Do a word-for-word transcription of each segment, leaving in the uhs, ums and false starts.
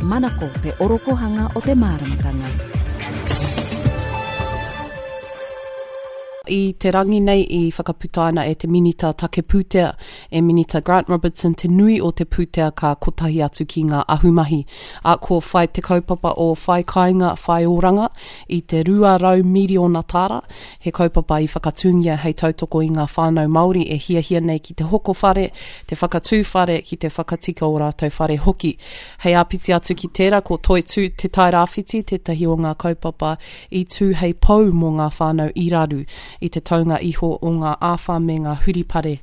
Manako te orokohanga o te māramatanga. I te rangi nei i whakaputaina e te Minita Take Pūtea, e Minita Grant Robertson te nui o te pūtea ka kotahi atu ki ngā ahumahi. A ko whai te kaupapa o Whai Kāinga, Whai Oranga i te rua rau miriona tāra, he kaupapa i whakatūngia hei tautoko i ngā whānau Māori e hiahia nei ki te hoko whare, te whakatū whare, ki te whakatika o rātou whare hoki. Hei āpiti atu ki tērā, ko Toitū Te Tairāwhiti tētahi o ngā kaupapa i tū hei pou mō ngā whānau i raru i te taunga iho o ngā āwhā me ngā huripare,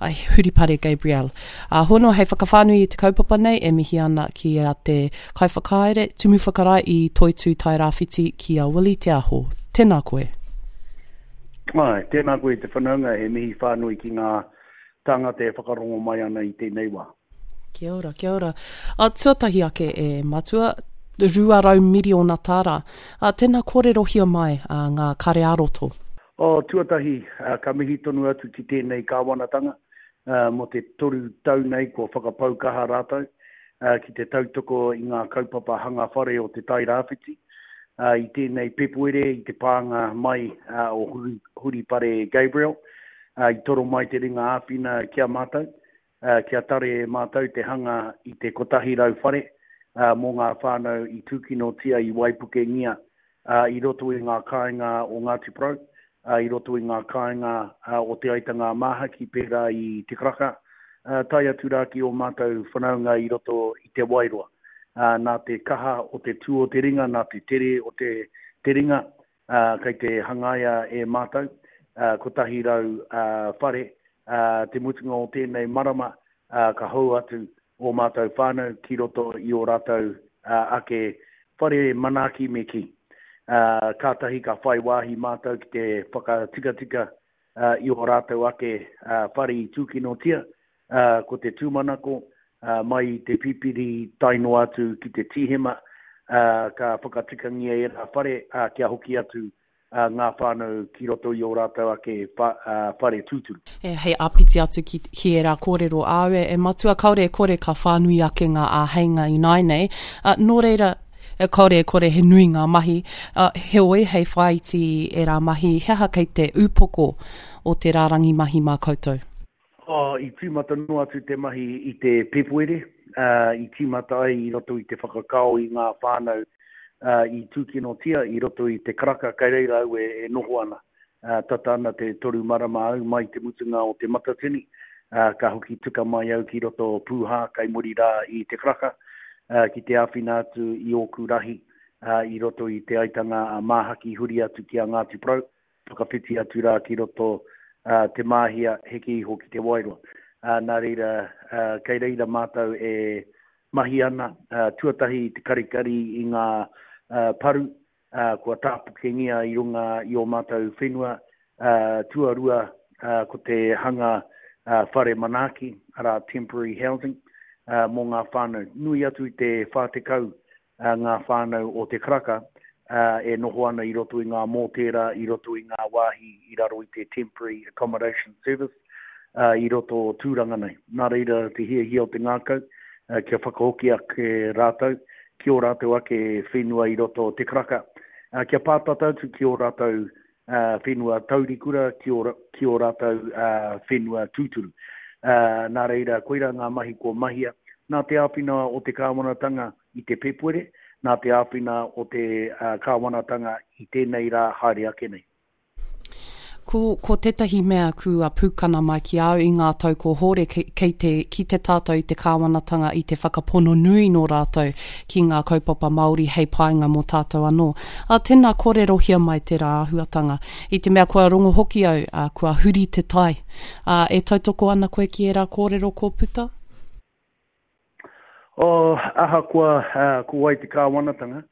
ai, huripare Gabrielle. A hono hei whakawhānui i te kaupapa nei e mihi ana ki a te kaiwhakahaere Tumu Whakarae i Toitū Tairāwhiti ki a Willie Te Aho. Tēnā koe. Ai, tēnā koe te whanaunga, he mihi whānui ki ngā tāngata e whakarongo mai ana i tēnei wā. Kia ora, kia ora. A, tuatahi ake e matua, rua rau miriona tāra. A, tēnā kōrerohia mai a, ngā kare ā-roto. O, tuatahi, a, ka mihi tonu atu ki tēnei kāwanatanga, a, mō te toru tau nei kua whakapau kaha rātou, a, ki te tautoko i ngā kaupapa hanga whare o te Tairāwhiti. A, i tēnei Pepuere, i te pānga mai, a, o Huri, Huripare Gabriel, a, i toro mai te ringa āwhina ki a mātou, a, kia tare e mātou te hanga i te kotahi rau whare, a, mō ngā whānau i tūkinotia i waipukengia, a, i roto i ngā kāinga o Ngāti Porou, a, i roto i ngā kāinga, a, o Te Aitanga a Māhaki pērā i Te Karaka, a, tae atu rā ki ō mātou whanaunga i roto i Te Wairoa. A, nā te kaha o te tū o te ringa, nā te tere o te, te ringa, a, kei te hangaia e mātou, a, kotahi rau, a, whare, a, te mutunga o tēnei marama, a, ka hou atu ō mātou whānau ki roto i ō rātou, a, ake whare manaaki me kī. Uh, kātahi ka whai wāhi mātou ki te whakatikatika, uh, i ō rātou ake, uh, whare i tūkinotia, uh, ko te tūmanako, uh, mai i te pipiri tae noa atu ki te tīhema, uh, ka whakatikangia e rā whare, uh, kia hoki atu, uh, ngā whānau ki roto i ō rātou ake wha-, uh, whare tūturu. E, hei āpiti atu ki, ki ērā kōrero āu e, e matua, kāore e kore ka whānui ake ngā āheinga ināianei. Uh, nō reira, e, kāore e kore he nui ngā mahi. Uh, heoi, hei whāiti ērā mahi, he aha kei te upoko o te rārangi mahi mā koutou? Oh, i tīmata noa atu te mahi i te Pepuere, uh, i tīmata ai i roto i te whakakao i ngā whānau, uh, i tūkinotia i roto i te Karaka, kei reira au e, e noho ana. Uh, tata ana te toru marama au mai te mutunga o te Matatini, uh, ka hoki tuka mai au ki roto Pūhā kei muri rā i te Karaka, uh, ki te āwhina atu i ōku rahi, uh, i roto i te Aitanga a Māhaki huri atu ki a Ngāti Porou, whakawhiti atu rā ki roto, uh, Te Māhia, heke iho ki Te Wairoa. Uh, nā reira, uh, kei reira mātou e mahi ana, uh, tuatahi te karikari i ngā, uh, paru, uh, kua tāpukengia i runga i ō mātou whenua, uh, tuarua, uh, ko te hanga, uh, whare manaaki, arā temporary housing, uh, mō ngā whānau. Nui atu i te whā tekau, uh, ngā whānau o Te Karaka, uh, e noho ana i roto i ngā mōtēra, i roto i ngā wāhi i raro i te Temporary Accommodation Service, uh, i roto o Tūranga nei. Nā reira te hiahia o te ngākau, uh, kia whakahoki ake rātou, ki ō rātou ake whenua i roto o Te Karaka, uh, kia pātata atu ki ō rātou, uh, whenua taurikura, ki ō, ki ō rātou, uh, whenua tūturu. Uh, nā reira, koira ngā mahi kua mahia. Nā te āwhina o te kāwanatanga i te Pepuere, nā te āwhina o te, uh, kāwanatanga i tēnei rā haere ake nei. Ko, ko tētahi mea kua pūkana mai ki au i ngā tau ko hōre kei, kei te, ki te tātou i te kāwanatanga i te whakapono nui nō rātou ki ngā kaupapa Māori hei painga mō tātou anō. A, tēnā kōrerohia mai tērā āhuatanga. I te mea kua rongo hoki au, a, kua huri te tai. A, e tautoko ana koe ki ērā kōrero kō puta? O, ahakoa, uh, ko wai te kāwanatanga,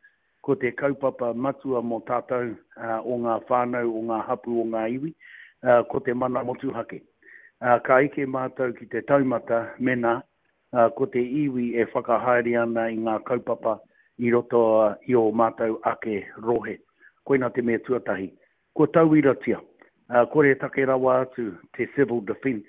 ko te kaupapa matua mō tātou, uh, o ngā whānau, o ngā hapu, o ngā iwi, uh, ko te mana motuhake. Uh, ka eke mātou ki te taumata mena, uh, ko te iwi e whakahaere ana i ngā kaupapa i roto, uh, i ō mātou ake rohe. Koina te mea tuatahi. Ko tauiratia, uh, kore take rawa atu te civil defence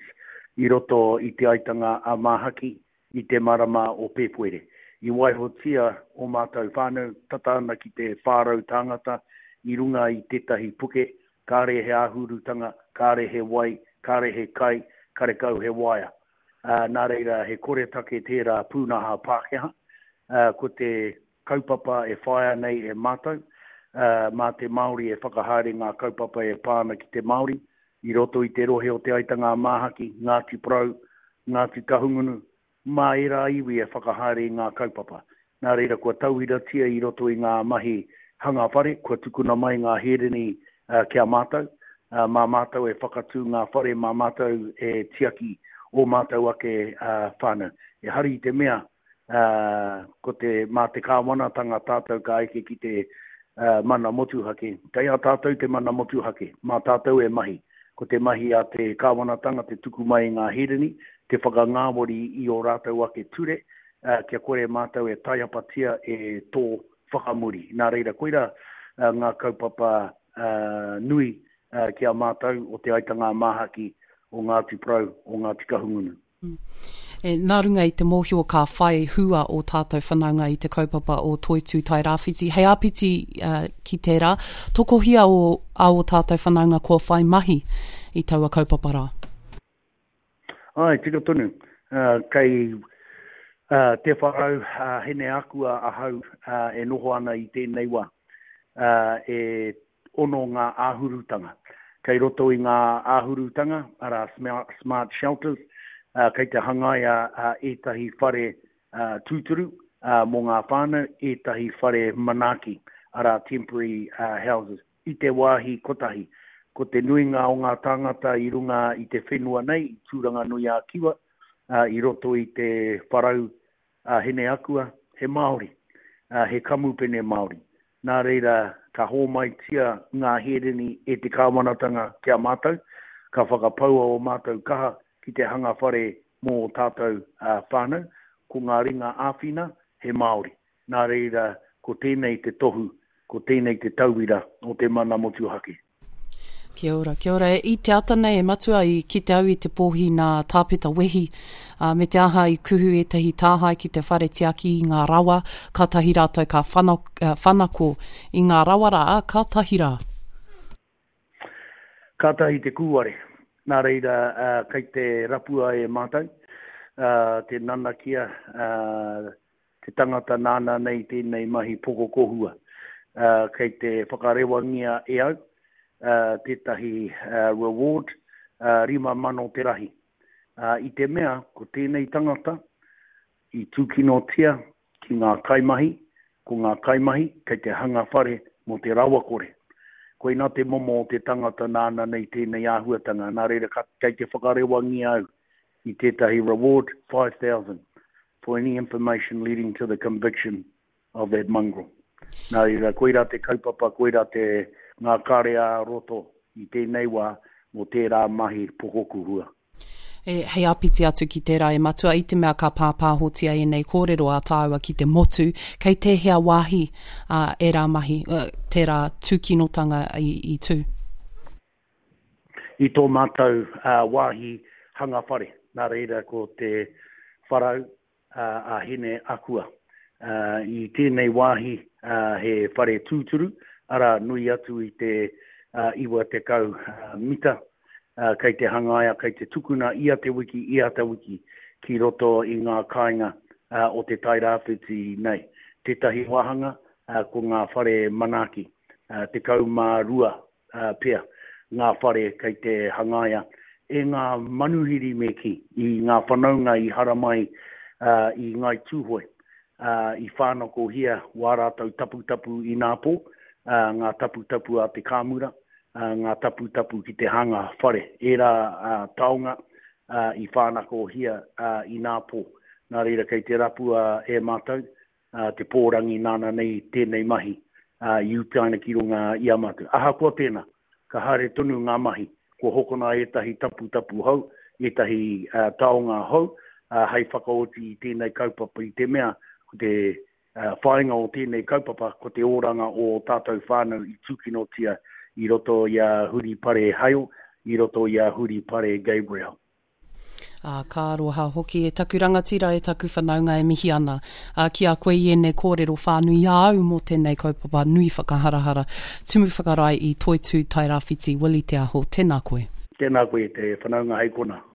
i roto i te Aitanga a Māhaki i te marama o Pepuere. I waihotia ō mātou whānau, tata ana ki te whā rau tāngata, i runga i tētahi puke, kāre he āhurutanga, kāre he wai, kāre he kai, karekau he waea. Ā, nā reira, he koretake tērā pūnaha Pākehā. Ā, ko te kaupapa e whāia nei e mātou, ā, mā te Māori e whakahaere ngā kaupapa e pā ana ki te Māori, i roto i te rohe o Te Aitanga-a-Māhaki, Ngāti Porou, Ngāti Kahungunu, mā ērā iwi e whakahaere i ngā kaupapa. Nā reira, kua tauiratia i roto i ngā mahi hanga whare, kua tukuna mai ngā hereni ki a mātou, mā mātou e whakatū ngā whare, mā mātou e tiaki ō mātou ake whānau. Ehara i te mea, ko te, mā te kāwanatanga tātou ka eke ki te mana motuhake. Kei a tātou te mana motuhake, mā tātou e mahi. Ko te mahi a te kāwanatanga te tuku mai i ngā hereni, te whakangāwari i ō rātou ake ture, kia kore mātou e taiapatia e tō whakamuri. Nā reira, koirā ngā kaupapa nui ki a mātou o Te Aitanga-a-Māhaki, o Ngāti Porou, o Ngāti Kahungunu. E, nā runga i te mōhio ka whai hua ō tātou whanaunga i te kaupapa o Toitū Tairāwhiti. Hei āpiti uh, ki tērā, tokohia o, a ō tātou whanaunga kua whai mahi i taua kaupapa rā? Āe, tika tonu. Uh, kei uh, Te Wharau uh, Hineakua ahau uh, e noho ana i tēnei wā. Uh, e ono ngā āhurutanga. Kei roto i ngā āhurutanga, arā smart shelters, kei te hangaia ētahi whare tūturu mō ngā whānau, ētahi whare manaaki, arā temporary houses, i te wāhi kotahi. Ko te nuinga o ngā tāngata i runga i te whenua nei, i Tūranganui-a-Kiwa, i roto i te wharau a Hineakua, he Māori, he kamupene Māori. Nā reira, ka hōmaitia ngā hereni e te kāwanatanga ki a mātou, ka whakapaua ō mātou kaha ki te hanga whare mō ō tātou whānau, ko ngā ringa āwhina he Māori. Nā reira, ko tēnei te tohu, ko tēnei te tauira o te mana motuhake. Kia ora, kia ora. I te ata nei e matua i kite au i te pōhi nā Tāpeta Wehi, ā, me te aha i kuhu ētahi tāhae ki te whare tiaki i ngā rawa, kātahi rātou ka whana, whanako i ngā rawa rā, ā, kātahi rā. Kātahi te kūare. Nā reira, ā, kei te rapua e mātou, ā, te nanakia, ā, te tangata nāna nei tēnei mahi pokokohua. Ā, kei te whakarewangia e au, tētahi reward rima mano te rahi. I te mea ko tēnei tangata i tūkinotia ki ngā kaimahi, ko ngā kaimahi kei te hanga whare mō te rawakore. Koinā te momo o te tangata nāna nei tēnei āhuatanga, nā reira kei te whakarewangia au i tētahi reward five thousand for any information leading to the conviction of that mongrel. Nā reira, koirā te kaupapa, koirā te ngā kare ā-roto i tēnei wā mō tērā mahi pokokuhua. E, hei āpiti atu ki tērā e Matua, i te mea ka pāpāhotia ēnei kōrero a tāua ki te motu, kei tēhea wāhi ā, ērā mahi, tērā tūkinotanga i, i tū? I tō mātou wāhi hanga whare, nā reira ko te wharau, a Hine Akua. I tēnei wāhi he whare tūturu, arā, nui atu i te iwa tekau mita, kei te hangaia, kei te tukuna ia te wiki, ia te wiki ki roto i ngā kāinga o Te Tairāwhiti nei. Tētahi wāhanga ko ngā whare manaaki, tekau mā rua pea ngā whare kei te hangaia e ngā manuhiri me kī, i ngā whanaunga i haramai i Ngāi Tūhoe, i whānakohia wā rātou taputapu inapō, ngā taputapu a te kāmura, ngā taputapu ki te hanga whare, ērā taonga i whānakohia inapō. Nā reira kei te rapua e mātou te pōrangi nāna nei tēnei mahi i utaina ki runga i a mātou. Ahakoa tēnā, ka haere tonu ngā mahi, kua hokona ētahi taputapu hou, ētahi taonga hou hei whakaoti i tēnei kaupapa i te mea ko te whāinga o tēnei kaupapa ko te oranga o ō tātou whānau i tūkinotia i roto i a Huripare Hale, i roto i a Huripare Gabriel. Ā, ka aroha hoki e taku rangatira, e taku whanaunga e mihi ana ā, ki a koe i ēnei kōrero whānui i a au mō tēnei kaupapa nui whakaharahara, Tumu Whakarae i Toitū Tairāwhiti, Willie Te Aho, tēnā koe. Tēnā koe te whanaunga hei kona.